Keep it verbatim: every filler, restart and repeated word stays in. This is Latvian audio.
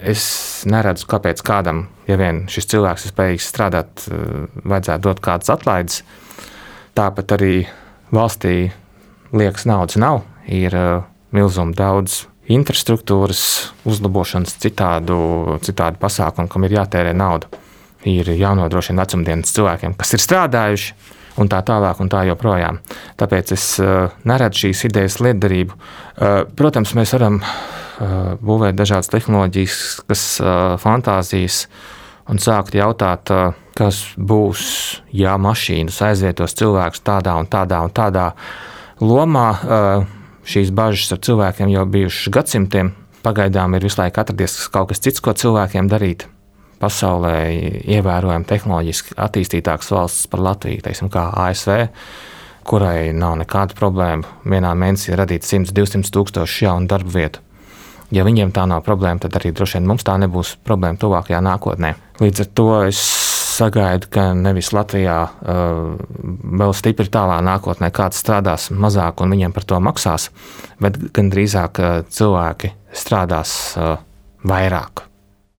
es neredzu, kāpēc kādam, ja vien šis cilvēks ir spējīgs strādāt, vajadzētu dot kādas atlaides. Tāpat arī valstī liekas naudas nav, ir milzuma daudz infrastruktūras uzlabošanas, citādu, citādu pasākumu, kam ir jātērē nauda. Ir jānodrošina vecumdienas cilvēkiem, kas ir strādājuši, un tā tālāk, un tā joprojām. Tāpēc es uh, neredzu šīs idejas lietderību. Uh, protams, mēs varam uh, būvēt dažādas tehnoloģijas, kas uh, fantāzijas, un sākt jautāt, uh, kas būs, ja mašīnas aizvietos cilvēkus tādā un tādā un tādā lomā. Uh, šīs bažas ar cilvēkiem jau bijušas gadsimtiem. Pagaidām ir visu laiku atradies kaut kas cits, ko cilvēkiem darīt. Pasaulē ievērojami tehnoloģiski attīstītākas valsts par Latviju, teiksim, kā A S V, kurai nav nekāda problēma vienā mēnesī radīt simts līdz divsimt tūkstoši jaunu darba vietu. Ja viņiem tā nav problēma, tad arī droši vien mums tā nebūs problēma tuvākajā nākotnē. Līdz ar to es sagaidu, ka nevis Latvijā uh, vēl stipri tālā nākotnē kāds strādās mazāk un viņiem par to maksās, bet gan drīzāk uh, cilvēki strādās uh, vairāk.